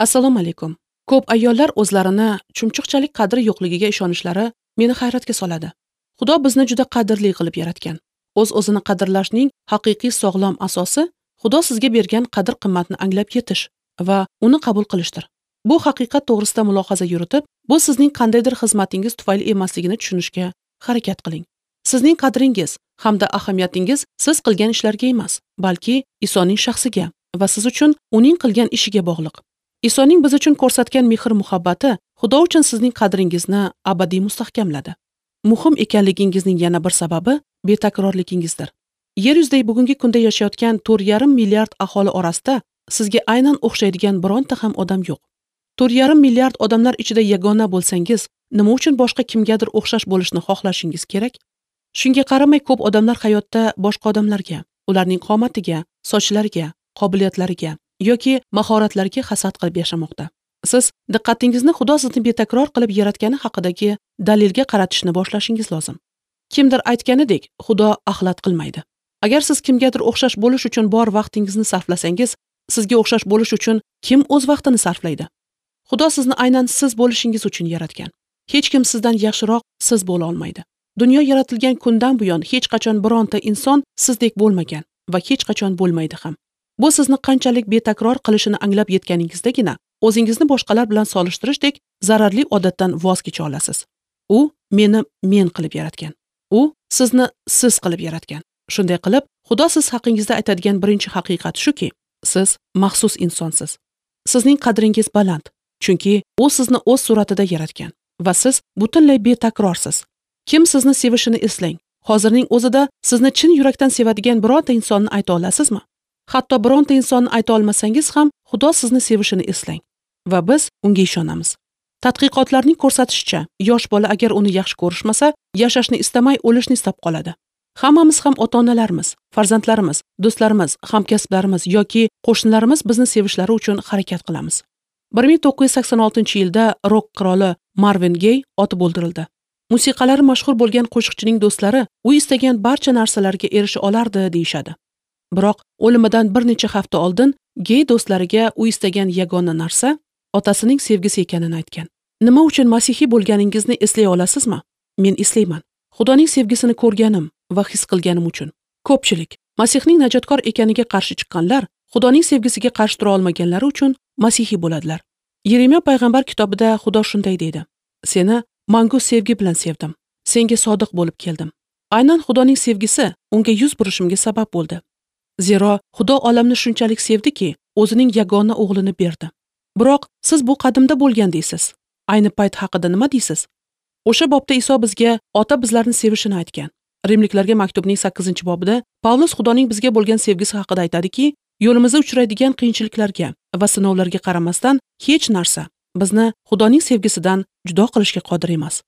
Assalomu alaykum. Ko'p ayollar o'zlarini chumchuqchalik qadri yo'qligiga ishonishlari meni hayratga soladi. Xudo bizni juda qadrli qilib yaratgan. O'z-o'zini qadrlashning haqiqiy sog'lom asosi Xudo sizga bergan qadr-qimmatni anglab yetish va uni qabul qilishdir. Bu haqiqat to'g'risida mulohaza yuritib, bu sizning qandaydir xizmatingiz tufayli emasligini tushunishga harakat qiling. Sizning qadringiz hamda ahamiyatingiz siz qilgan ishlarga emas, balki Isoning shaxsiga va siz uchun uning qilgan ishiga bog'liq. Isoning biz uchun ko'rsatgan mehr-muhabbati Xudo uchun sizning qadringizni abadiy mustahkamladi. Muhim ekanligingizning yana bir sababi betakrorligingizdir. Yer yuzidagi bugungi kunda yashayotgan 4,5 milliard aholi orasida sizga aynan o'xshaydigan bironta ham odam yo'q. 4,5 milliard odamlar ichida yagona bo'lsangiz, nima uchun boshqa kimgadir o'xshash bo'lishni xohlashingiz kerak? Shunga qaramay ko'p odamlar hayotda boshqa odamlarga, ularning qomatiga, sochlariga, qobiliyatlariga yoki mahoratlariga hasad qilib yashamoqda. Siz diqqatingizni Xudo sizni betakror qilib yaratgani haqidagi dalilga qaratishni boshlashingiz lozim. Kimdir aytganidek, Xudo axlat qilmaydi. Agar siz kimgadir o'xshash bo'lish uchun bor vaqtingizni sarflasangiz, sizga o'xshash bo'lish uchun kim o'z vaqtini sarflaydi? Xudo sizni aynan siz bo'lishingiz uchun yaratgan. Hech kim sizdan yaxshiroq siz bo'la olmaydi. Dunyo yaratilgan kundan buyon hech qachon bironta inson sizdek bo'lmagan va hech qachon bo'lmaydi ham. Bu sizni qanchalik betakror qilishini anglab yetganingizdagina o'zingizni boshqalar bilan solishtirishdek zararli odatdan voz kecha olasiz. U meni men qilib yaratgan. U sizni siz qilib yaratgan. Shunday qilib, Xudo siz haqingizda aytadigan birinchi haqiqat shuki, siz maxsus insonsiz. Sizning qadringiz baland, chunki u sizni o'z suratida yaratgan va siz butunlay betakrorsiz. Kim sizni sevishini eslang. Hozirning o'zida sizni chin yurakdan sevadigan bironta insonni ayta olasizmi? Hatto bironta insonni ayta olmasangiz ham Xudo sizni sevishini eslang va biz unga ishonamiz. Tadqiqotlarning ko'rsatishicha, yosh bola agar uni yaxshi ko'rishmasa, yashashni istamay o'lishni istab qoladi. Hammamiz ham ota-onalarimiz, farzandlarimiz, do'stlarimiz, hamkasblarimiz yoki qo'shnilarimiz bizni sevishlari uchun harakat qilamiz. 1986-yilda rok qiroli Marvin Gay otib o'ldirildi. Musiqalari mashhur bo'lgan qo'shiqchining do'stlari u istagan barcha narsalarga erisha olardi deyishadi. Biroq o'limidan bir necha hafta oldin Gay do'stlariga u istagan yagona narsa otasining sevgisi ekanini aytgan. Nima uchun masihiy bo'lganingizni eslay olasizmi? Men eslayman. Xudoning sevgisini ko'rganim va his qilganim uchun. Ko'pchilik Masihning najotkor ekaniga qarshi chiqqanlar Xudoning sevgisiga qarshi tura olmaganlari uchun masihiy bo'ladilar. Yeremiya payg'ambar kitobida Xudo shunday deydi: Seni mangu sevgi bilan sevdim. Senga sodiq bo'lib keldim. Aynan Xudoning sevgisi unga yuz burishimga sabab bo'ldi. Zero Xudo olamni shunchalik sevdiki, o'zining yagona o'g'lini berdi. Biroq siz bu qadimda bo'lgan deysiz. Ayni payt haqida nima deysiz? O'sha bobda Iso bizga ota bizlarni sevishini aytgan. Rimliklarga maktubning 8-bobida Pavlus Xudoning bizga bo'lgan sevgisi haqida aytadiki, yo'limizda uchraydigan qiyinchiliklarga va sinovlarga qaramasdan hech narsa bizni Xudoning sevgisidan judo qilishga qodir emas.